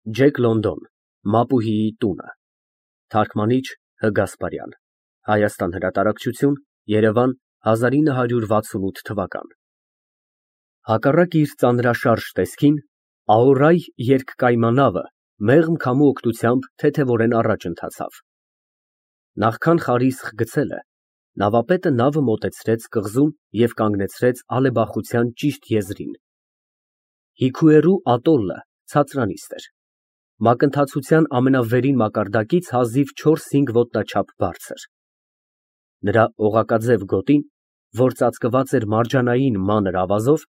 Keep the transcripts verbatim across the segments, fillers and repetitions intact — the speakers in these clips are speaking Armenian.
Ջեք Լոնդոն, Մապուհիի տունը։ Թարգմանիչ Հգասպարյան, Հայաստան հրատարակչություն, Երևան հազար ինը հարյուր վաթսունութ թվական։ Հակառակ իր ծանրաշարժ տեսքին, Աուրայ երկկայմանավը մեղմ քամու օգնությամբ թեթևորեն առաջ ընթացավ։ Նախքան խարիսխ գցելը, նավապետը նավը մոտեցրեց կղզուն և կանգնեցրեց ալեբախության ճիշտ եզրին։ Հիքուերու ատոլլը ցածրանիստ էր, մակընթացության ամենավերին մակարդակից հազիվ չորս֊հինգ ոտնաչափ բարձր։ Նրա օղակաձև գոտին, որ ծածկված էր մարջանային մանր ավազով,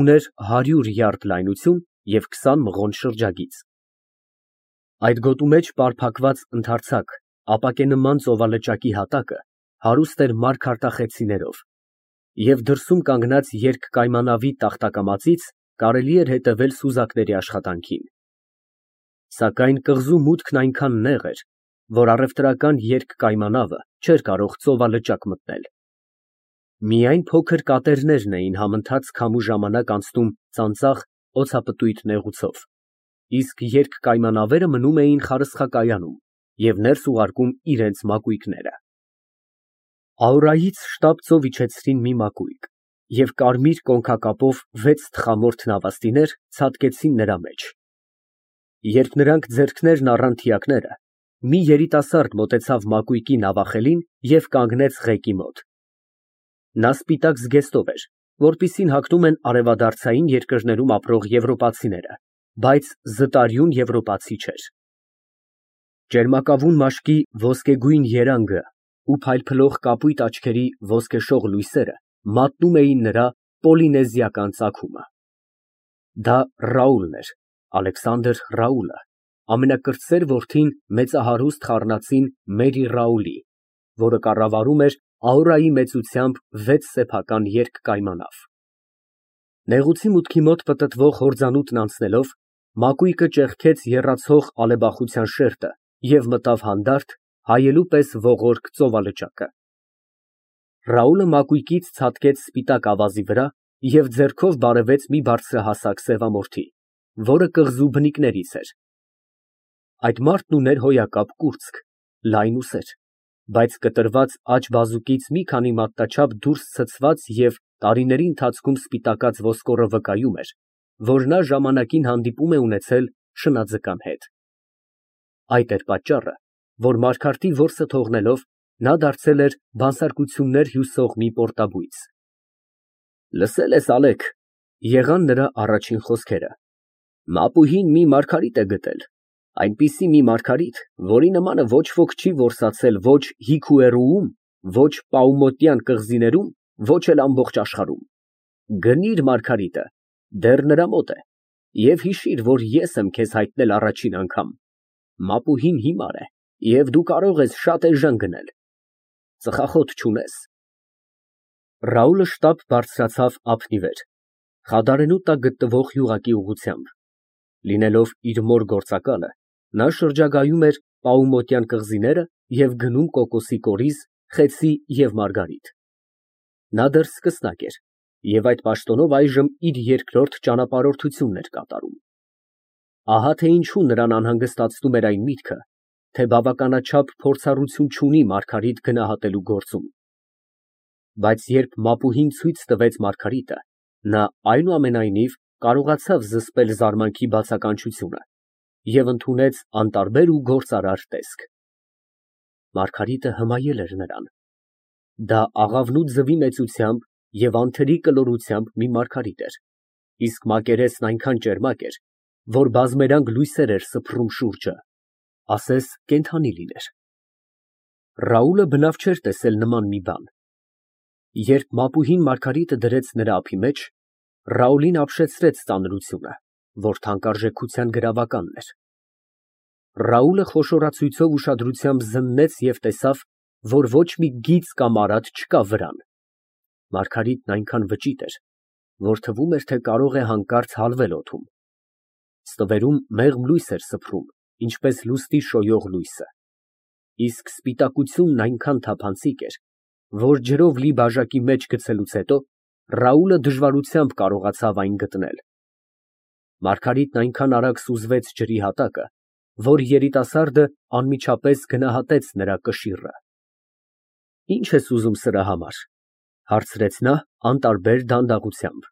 ուներ հարյուր յարդ լայնություն և քսան մղոն շրջագիծ։ Այդ գոտու մեջ պարփակված ընդարձակ, ապակենման ծովալճակի հատակը հարուստ էր մարգարտախեցիներով, և դրսում կանգնած երկկայմանավի տախտակամածից կարելի էր հետևել սուզակների աշխատանքին։ Սակայն կղզու մուտքն այնքան նեղ էր, որ առևտրական երկկայմանավը չէր կարող ծովալճակ մտնել։ Միայն փոքր կատերներն էին համընթաց քամու ժամանակ անցնում ծանծաղ, օդապտույտ նեղուցով, իսկ երկկայմանավերը մնում էին խարսխակայանում և ներս ուղարկում իրենց մակույկները։ Աուրայից շտապ ծով իջեցրին մի մակույկ և կարմիր կոնքակապով վեց թխամորթ նավաստիներ ցատկեցին նրա մեջ։ Երբ նրանք ձեռքներն առան թիակները, մի երիտասարդ մոտեցավ մակույկի նավախելին և կանգնեց ղեկի մոտ։ Նա սպիտակ զգեստով էր, որպիսին հագնում են արևադարձային երկրներում ապրող եվրոպացիները, բայց զտարյուն եվրոպացի չէր։ Ճերմակավուն մաշկի ոսկեգույն երանգը ու փայլփլող կապույտ աչքերի ոսկեշող լույսերը մատնում էին նրա պոլինեզիական ծագումը։ Դա Ռաուլն էր, Ալեքսանդր Ռաուլը, ամենակրտսեր որդին մեծահարուստ խառնածին Մերի Ռաուլի, որը կառավարում էր Աուրայի մեծությամբ վեց սեփական երկկայմանավ։ Նեղուցի մուտքի մոտ պտտվող հորձանուտն անցնելով, մակույկը ճեղքեց եռացող ալեբախության շերտը և մտավ հանդարտ, հայելու պես ողորկ ծովալճակը։ Ռաուլը մակույկից ցատկեց սպիտակ ավազի վրա և ձեռքով բարևեց մի բարձրահասակ սևամորթի, որը կղզու բնիկներից էր։ Այդ մարդն ուներ հոյակապ կուրծք, լայն ուսեր, բայց կտրված աջ բազուկից մի քանի մատնաչափ դուրս ցցված և տարիների ընթացքում սպիտակած ոսկորը վկայում էր, որ նա ժամանակին հանդիպում է ունեցել շնաձկան հետ։ Այդ էր պատճառը, որ Մարգարտի որսը թողնելով, նա դարձել էր բանսարկություններ հյուսող մի պորտաբույծ։ «Լսել ես, Ալեք, ֊ եղան նրա առաջին խոսքերը, ֊ Մապուհին մի մարգարիտ է գտել, այնպիսի մի մարգարիտ, որի նմանը ոչ ոք չի որսացել ոչ Հիքուերուում, ոչ Պաումոտյան կղզիներում, ոչ էլ ամբողջ աշխարհում։ Գնիր մարգարիտը, դեռ նրա մոտ է, և հիշիր, որ ես եմ քեզ հայտնել առաջին անգամ. Մապուհին հիմար է, և դու կարող ես շատ էժան գնել։ Ծխախոտ չունես։ Ռաուլը շտապ բարձրացավ ափի վեր, Խադարենու տակ գտնվող գյուղակի ուղղությամբ։ Լինելով իր մոր գործակալը, նա շրջագայում էր Պաումոտյան կղզիները և գնում կոկոսի կորիզ, խեցի և մարգարիտ։ Նա դեռ սկսնակ էր և այդ պաշտոնով այժմ իր երկրորդ ճանապարհորդությունն էր կատարում։ Ահա թե ինչու նրան անհանգստացնում էր այն միտքը, թե բավականաչափ փորձառություն չունի մարգարիտ գնահատելու գործում։ Բայց երբ Մապուհին ցույց տվեց մարգարիտը, նա այնուամենայնիվ կարողացավ զսպել զարմանքի բացականչությունը և ընդունեց անտարբեր ու գործարար տեսք։ Մարգարիտը հմայել էր նրան։ Դա աղավնու ձվի մեծությամբ և անթերի կլորությամբ մի մարգարիտ էր, իսկ մակերեսն այնքան ճերմակ էր, որ բազմերանգ լույսեր էր սփռում շուրջը, ասես կենդանի լիներ։ Ռաուլը բնավ չէր տեսել նման մի բան։ Երբ Մապուհին մարգարիտը դրեց նրա ափի մեջ, Ռաուլին ապշեցրեց ծանրությունը, որ թանկարժեքության գրավականն էր։ Ռաուլը խոշորացույցով ուշադրությամբ զննեց և տեսավ, որ ոչ մի գիծ կամ արատ չկա վրան։ Մարգարիտն այնքան վճիտ էր, որ թվում էր, թե կարող է հանկարծ հալվել օդում։ Ստվերում մեղմ լույս էր սփռում, ինչպես լուստի շոյող լույսը, իսկ սպիտակությունն այնքան թափանցիկ էր, որ ջրով լի բաժակի մեջ գցելուց հետո Ռաուլը դժվարությամբ կարողացավ այն գտնել։ Մարգարիտն այնքան արագ սուզվեց ջրի հատակը, որ երիտասարդը անմիջապես գնահատեց նրա կշիռը։ Ի՞նչ ես ուզում սրա համար, ֊ հարցրեց նա անտարբեր դանդաղությամբ։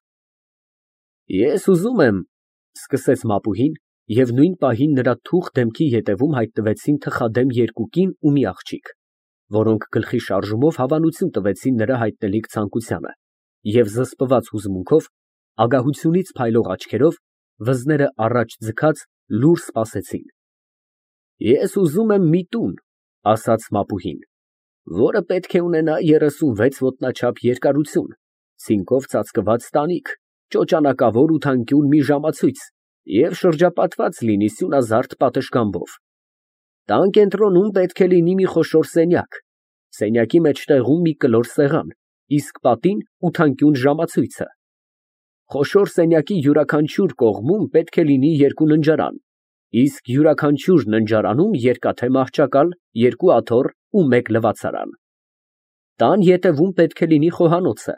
Ես ուզում եմ, ֊ սկսեց Մապուհին, և նույն պահին նրա թուխ դեմքի ետևում հայտնվեցին թխադեմ երկու կին ու մի աղջիկ, որոնք գլխի շարժումով հավանություն տվեցին նրա հայտնելիք ցանկությանը, և զսպված հուզմունքով, ագահությունից փայլող աչքերով, վզները առաջ ձգած լուռ սպասեցին։ Ես ուզում եմ մի տուն, ֊ ասաց Մապուհին, ֊ որը պետք է ունենա երեսունվեց ոտնաչափ երկարություն, ցինկով ծածկված տանիք, ճոճանակավոր ու թանկյուն մի ժամացույց և շրջապատված լինի սյունազարդ պատշգամբով։ Տան կենտրոնում պետք է լինի մի խոշոր սենյակ, սենյակի մեջտեղում մի կլոր սեղան, իսկ պատին ութանկյուն ժամացույցը։ Խոշոր սենյակի յուրաքանչյուր կողմում պետք է լինի երկու ննջարան, իսկ յուրաքանչյուր ննջարանում երկաթե մահճակալ, երկու աթոռ ու մեկ լվացարան։ Տան ետևում պետք է լինի խոհանոցը,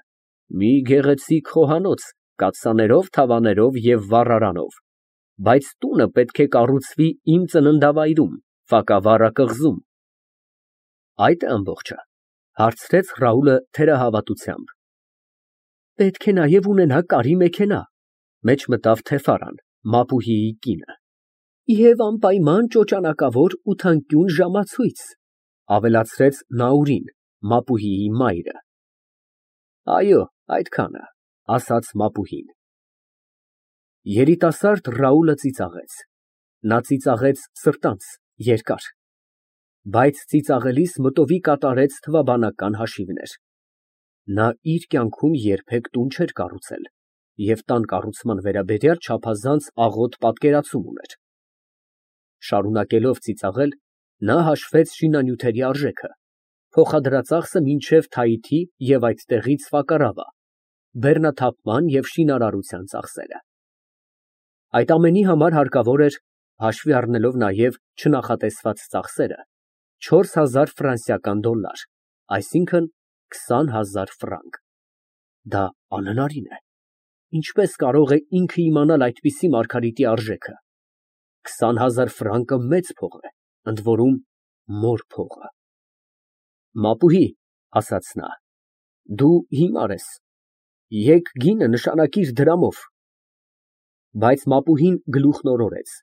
մի գեղեցիկ խոհանոց կաթսաներով, թավաներով և վառարանով, բայց տունը պետք է կառուցվի իմ ծննդավայրում, Ֆակավառա կղզում։ Այդ է ամբողջը, ֊ հարցրեց Ռաուլը թերահավատությամբ։ Պետք է նաև ունենա կարի մեքենա, ֊ մեջ մտավ Թեֆարան, Մապուհիի կինը, և անպայման ճոճանակավոր ու թանկյուն ժամացույց, ֊ ավելացրեց Նաուրին, Մապուհիի մայրը։ Այո, այդքանը, ֊ ասաց Մապուհին։ Երիտասարդ Ռաուլը ծիծաղեց։ Նա ծիծաղեց սրտանց, երկար, բայց ծիծաղելիս մտովի կատարեց թվաբանական հաշիվներ։ Նա իր կյանքում երբեք տուն չէր կառուցել և տան կառուցման վերաբերյալ չափազանց աղոտ պատկերացում ուներ։ Շարունակելով ծիծաղել, նա հաշվեց շինանյութերի արժեքը, փոխադրածախսը մինչև Թայիթի և այդտեղից Ֆակարավա, բեռնաթափման և շինարարության ծախսերը։ Այդ ամենի համար հարկավոր էր, հաշվի առնելով նաև չնախատեսված ծախսերը, չորս հազար ֆրանսիական դոլար, այսինքն քսան հազար ֆրանկ։ Դա անհնարին է։ Ինչպես կարող է ինքը իմանալ այդպիսի մարգարիտի արժեքը։ Քսան հազար ֆրանկը մեծ փող է, ընդ որում մոր փողը։ Մապուհի, ֊ ասաց նա, ֊ դու հիմար ես, եկ գինը նշանակիր դրամով։ Բայց Մապուհին գլուխն օրորեց,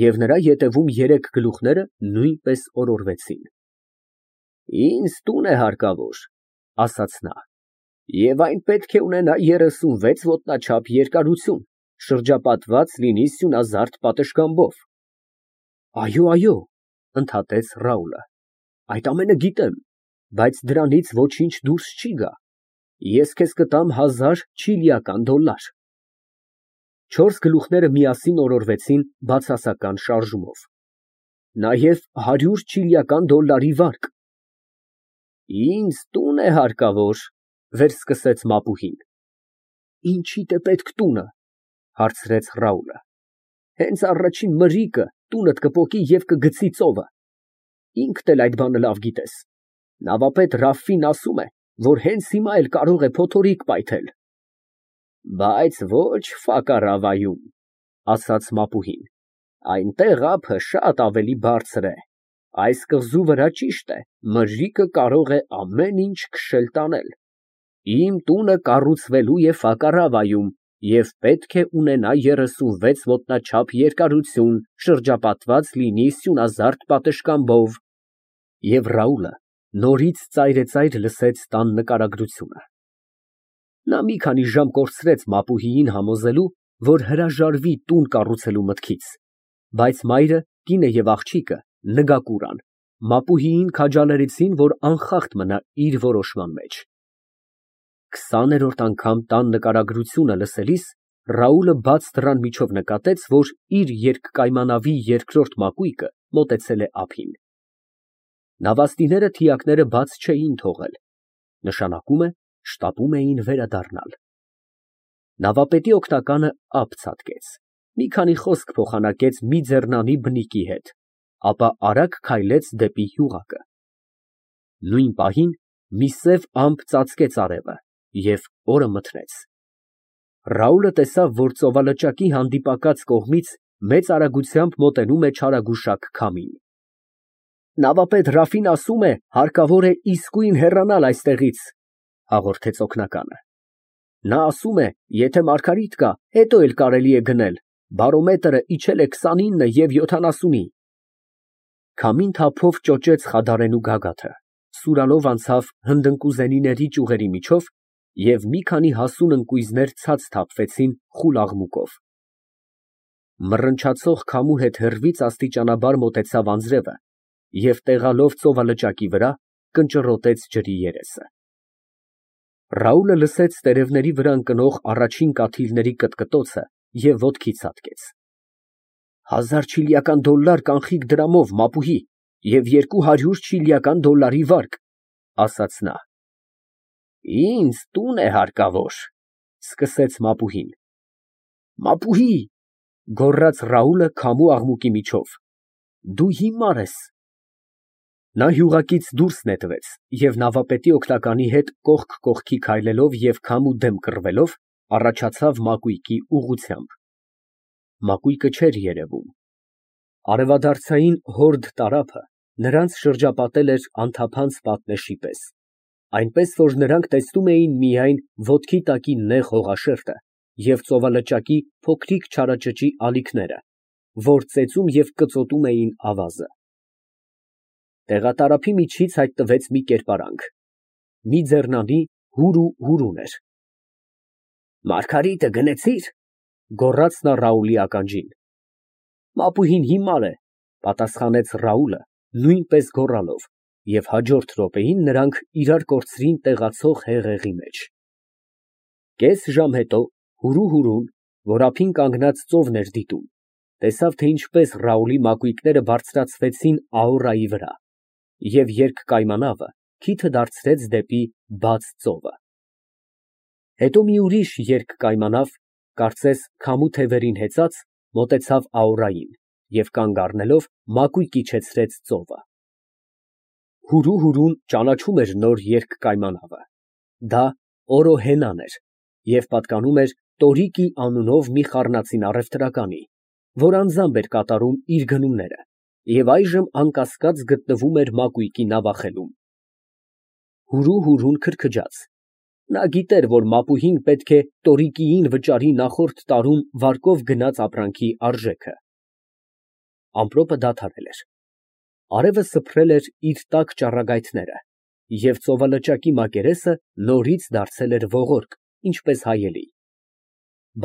և նրա ետևում երեք գլուխները նույնպես օրորվեցին։ Ինձ տուն է հարկավոր, ֊ ասաց նա, և այն պետք է ունենա երեսունվեց ոտնաչափ երկարություն, շրջապատված լինի սյունազարդ պատշգամբով։ Այո, այո, ֊ ընդհատեց Ռաուլը, այդ ամենը գիտեմ, բայց դրանից ոչինչ դուրս չի գա։ Ես քեզ կտամ հազար չիլիական դոլար։ Չորս գլուխները միասին օրորվեցին բացասական շարժումով։ Նաև հարյուր չիլիական դոլարի վարկ։ Ինձ տուն է հարկավոր, ֊ վերսկսեց Մապուհին։ Ինչիդ է պետք տունը, ֊ հարցրեց Ռաուլը։ Հենց առաջին մրրիկը տունդ կպոկի և կգցի ծովը։ Ինքդ էլ այդ բանը լավ գիտես։ Նավապետ Ռաֆֆին ասում է, որ հենց հիմա էլ կարող է փոթորիկ պայթել։ Բայց ոչ Ֆակարավայում, ֊ ասաց Մապուհին, այնտեղ ափը շատ ավելի բարձր է։ Այս կղզու վրա, ճիշտ է, մրրիկը կարող է ամեն ինչ քշել տանել։ Իմ տունը կառուցվելու է Ֆակարավայում և պետք է ունենա երեսունվեց ոտնաչափ երկարություն, շրջապատված լինի սյունազարդ պատշգամբով։ Եվ Ռաուլը նորից ծայրեծայր լսեց տան նկարագրությունը։ Նա մի քանի ժամ կորցրեց Մապուհիին համոզելու, որ հրաժարվի տուն կառուցելու մտքից, բայց մայրը, կինը և աղջիկը նգակուր ան, Մապուհիին քաջալերեցին, որ անխախտ մնա իր որոշման մեջ։ Քսաներորդ անգամ տան նկարագրությունը լսելիս Ռաուլը բաց դռան միջով նկատեց, որ իր երկկայմանավի երկրորդ մակույկը մոտեցել է ափին։ Նավաստիները թիակները բաց չէին թողել, նշանակում է շտապում էին վերադառնալ։ Նավապետի օգնականը ափ ցատկեց, մի քանի խոսք փոխանակեց մի ձեռնանի բնիկի հետ, ապա արագ քայլեց դեպի գյուղակը։ Նույն պահին մի սև ամպ ծածկեց արևը և օրը մթնեց։ Ռաուլը տեսավ, որ ծովալճակի հանդիպակաց կողմից մեծ արագությամբ մոտենում է չարագուշակ քամին։ Նավապետ Ռաֆին ասում է, հարկավոր է իսկույն հեռանալ այստեղից, հաղորդեց օգնականը։ Նա ասում է, եթե Մարգարիտ կա, հետո էլ կարելի է գնել, բարոմետրը իջել է քսանինը և յոթանասունի։ Քամին թափով ճոճեց Խադարենու գագաթը, սուրալով անցավ հնդընկուզենիների ճյուղերի միջով և մի քանի հասուն ընկույզներ ցած թափվեցին խուլ աղմուկով։ Մռնչացող քամու հետ հեռվից աստիճանաբար մոտեցավ անձրևը և տեղալով ծովալճակի վրա, կնճռոտեց ջրի երեսը։ Ռաուլը լսեց տերևների վրա ընկնող առաջին կաթիլների կտկտոցը և ոտքի ցատկեց։ Հազար չիլիական դոլլար կանխիկ դրամով, մապուհի, և երկու հարյուր չիլիական դոլլարի վարկ, ասաց նա։ Ինձ տուն է հարկավոր, սկսեց մապուհին։ Մապուհի, գոռաց Ռաուլը քամու աղմուկի միջով, դու հիմար ես։ Նա յուղակից դուրս նետվեց և նավապետի օգնականի հետ կողք կողքի քայլելով և քամու դեմ կռվելով, առաջացավ մակույկի ուղղությամբ։ Մակույկը չէր երևում։ Արևադարձային հորդ տարափը նրանց շրջապատել էր անթափանց պատնեշի պես, այնպես որ նրանք տեսնում էին միայն ոտքի տակի նեղ հողաշերտը և ծովալճակի փոքրիկ չարաճճի ալիքները, որ ծեծում և կծոտում էին ավազը։ Տեղատարափի միջից հայտնվեց մի կերպարանք, մի ձեռնանի հուրու֊հուրուն էր։ Մարգարիտը գնեցի՞ր, գոռաց նա Ռաուլի ականջին։ Մապուհին հիմար է, պատասխանեց Ռաուլը նույնպես գոռալով, և հաջորդ րոպեին նրանք իրար կորցրին տեղացող հեղեղի մեջ։ Կես ժամ հետո հուրու֊հուրուն, որ ափին կանգնած ծովն էր դիտում, տեսավ, թե ինչպես Ռաուլի մակույկները բարձրացվեցին Աուրայի վրա, և երկկայմանավը քիթը դարձրեց դեպի բաց ծովը։ Հետո մի ուրիշ երկկայմանավ, կարծես քամու թևերին հեծած, մոտեցավ Աուրային և կանգ առնելով մակույկն իջեցրեց ծովը։ Հուրու֊հուրուն ճանաչում էր նոր երկկայմանավը։ Դա Օրոհենան էր և պատկանում էր Տորիկի անունով մի խառնածին առևտրականի, որ անձամբ էր կատարում իր գնումները և այժմ անկասկած գտնվում էր մակույկի նավախելում։ Հուրու֊հուրուն քրքջաց։ Նա գիտեր, որ մապուհին պետք է տորիկիին վճարի նախորդ տարում վարկով գնած ապրանքի արժեքը։ Ամպրոպը դադարել էր։ Արևը սփռել էր իր տաք ճառագայթները, և ծովալճակի մակերեսը նորից դարձել էր ողորկ, ինչպես հայելի։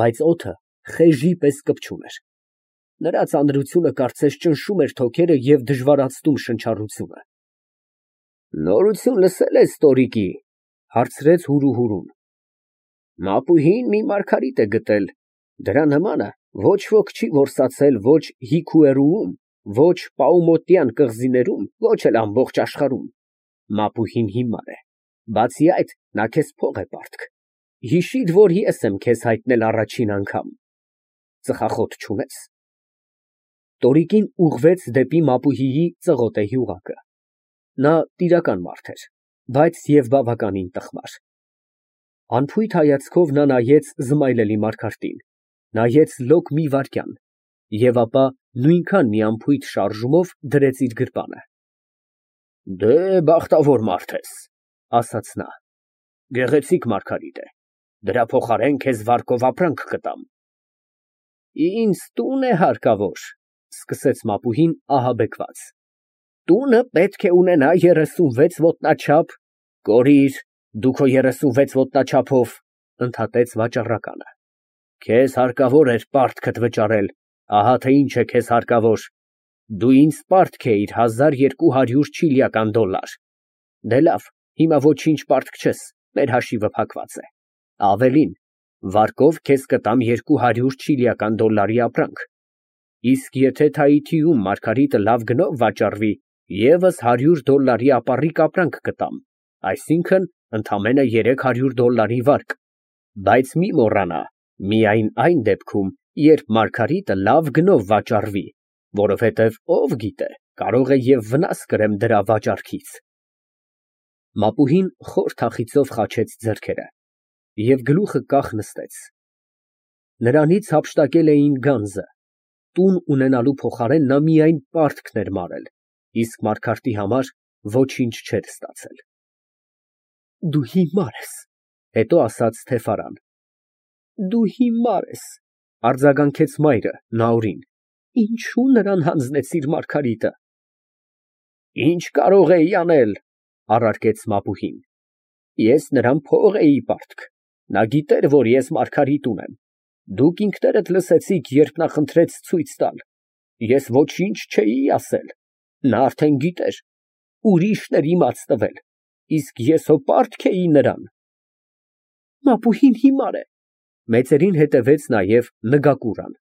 Բայց օդը խեժի պես կպչում էր։ Նրա ծանրությունը կարծես ճնշում էր թոքերը և դժվարացնում շնչառությունը։ Նորություն լսե՞լ ես տորիկի, հարցրեց հուրու֊հուրուն։ Մապուհին մի մարգարիտ է գտել, դրա նմանը ոչ ոք չի որսացել ոչ Հիքուերուում, ոչ Պաումոտյան կղզիներում, ոչ էլ ամբողջ աշխարհում։ Մապուհին հիմար է, բացի այդ, նա քեզ փող է պարտք։ Հիշիր, որ ես եմ քեզ հայտնել առաջին անգամ։ Ծխախոտ չունե՞ս։ Տորիկին ուղղվեց դեպի մապուհիի ծղոտե հյուղակը։ Նա տիրական մարդ էր, բայց և բավականին տխմար։ Անփույթ հայացքով նա նայեց զմայլելի Մարգարտին, նայեց լոկ մի վայրկյան և ապա նույնքան մի անփույթ շարժումով դրեց իր գրպանը։ Դե, բախտավոր մարդ ես, ասաց նա, գեղեցիկ մարգարիտ է, դրա փոխարեն քեզ վարկով ապրանք կտամ։ Ինձ տուն է հարկավոր, սկսեց մապուհին ահաբեկված։ Տունը պետք է ունենա երեսունվեց ոտնաչափ, կորիր, դու քո երեսունվեց ոտնաչափով, ընդհատեց վաճառականը։ Քեզ հարկավոր էր պարտքդ վճարել, ահա թե ինչ է քեզ հարկավոր։ Դու ինձ պարտք էիր հազար երկու հարյուր չիլիական դոլլար։ Դե լավ, հիմա ոչինչ պարտք չես, մեր հաշիվը փակված է։ Ավելին, վարկով քեզ կտամ երկու հարյուր չիլիական դոլլարի ապրանք։ Իսկ եթե Թայիթիում Մարգարիտը լավ գնով վաճառվի, ևս հարյուր դոլլարի ապառիկ ապրանք կտամ, այսինքն ընդամենը երեք հարյուր դոլլարի վարկ, բայց մի մոռանա, միայն այն դեպքում, երբ Մարգարիտը լավ գնով վաճառվի, որովհետև ով գիտե, կարող է և վնաս կրեմ դրա վաճառքից։ Մապուհին խոր թախիծով խաչեց ձեռքերը և գլուխը կախ նստեց։ Նրանից հափշտակել էին գանձը, տուն ունենալու փոխարեն նա միայն պարտքն էր մարել, իսկ Մարգարտի համար ոչինչ չէր ստացել։ Դու հիմար ես, հետո ասաց Թեֆարան։ Դու հիմար ես, արձագանքեց մայրը Նաորին, ինչու նրան հանձնեցիր Մարգարիտը։ Ինչ կարող էի անել, առարկեց Մապուհին։ Ես նրան փող էի պարտք, նա գիտեր, որ ես Մարգարիտ ունեմ, դուք ինքներդ լսեցիք, երբ նա խնդրեց ցույց տալ, ես ոչինչ չէի ասել, նա արդեն գիտեր, ուրիշն էր իմաց տվել, իսկ ես հո պարտք էի նրան։ Մապուհին հիմար է, մեծերին հետևեց նաև Նգակուրան։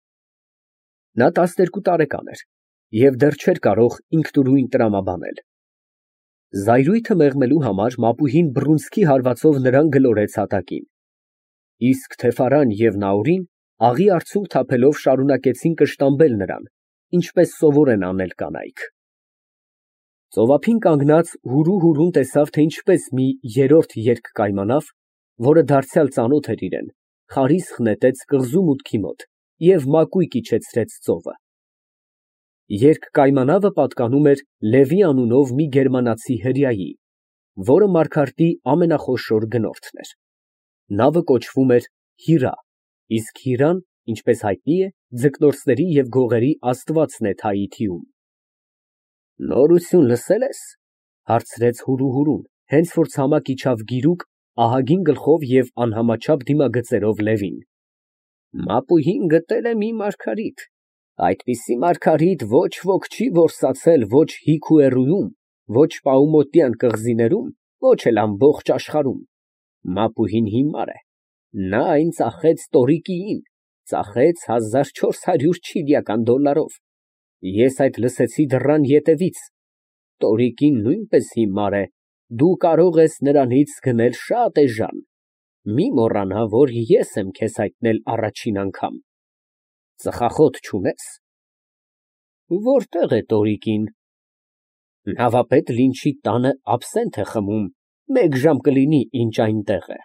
Նա տասներկու տարեկան էր և դեռ չէր կարող ինքնուրույն տրամաբանել։ Զայրույթը մեղմելու համար Մապուհին բռունցքի հարվածով նրան գլորեց հատակին, իսկ Թեֆարան և Նաորին աղի արցունք թափելով շարունակեցին կշտամբել նրան, ինչպես սովոր են անել կանայք։ Ծովափին կանգնած հուրու֊հուրուն տեսավ, թե ինչպես մի երրորդ երգ կայմանավ, որը դարձյալ ծանոթ էր իրան, խարիսխ նետեց կղզու մուտքի մոտ և մակույկը իջեցրեց ծովը։ Երգ֊կայմանավը պատկանում էր Լևի անունով մի գերմանացի հրեայի, որը Մարգարտի ամենախոշոր գնորդն էր։ Նավը կոչվում էր Հիրա, իսկ Հիրան, ինչպես հայտնի է, ձկնորսների և գողերի աստվածն է Թայիթիում։ Նորություն լսե՞լ ես, հարցրեց հուրու֊հուրուն, հենց որ ցամաք իջավ գիրուկ, ահագին գլխով և անհամաչափ դիմագծերով Լևին։ Մապուհին գտել է մի Մարգարիտ, այդպիսի Մարգարիտ ոչ ոք չի որսացել ոչ Հիքուերուում, ոչ Պաումոտյան կղզիներում, ոչ էլ ամբողջ աշխարհում։ Մապուհին հիմար է, նա այն ծախեց տորիկիին, ծախեց հազար չորս հարյուր չիլիական դոլարով, ես այդ լսեցի դռան ետևից, տորիկին նույնպես հիմար է, դու կարող ես նրանից գնել շատ էժան, մի մոռանա, որ ես եմ քեզ հայտնել առաջին անգամ։ Ծխախոտ չունե՞ս։ Որտե՞ղ է տորիկին։ Նավապետ Լինչի տանը աբսենտ է խմում, մեկ ժամ կլինի, ինչ այնտեղ է։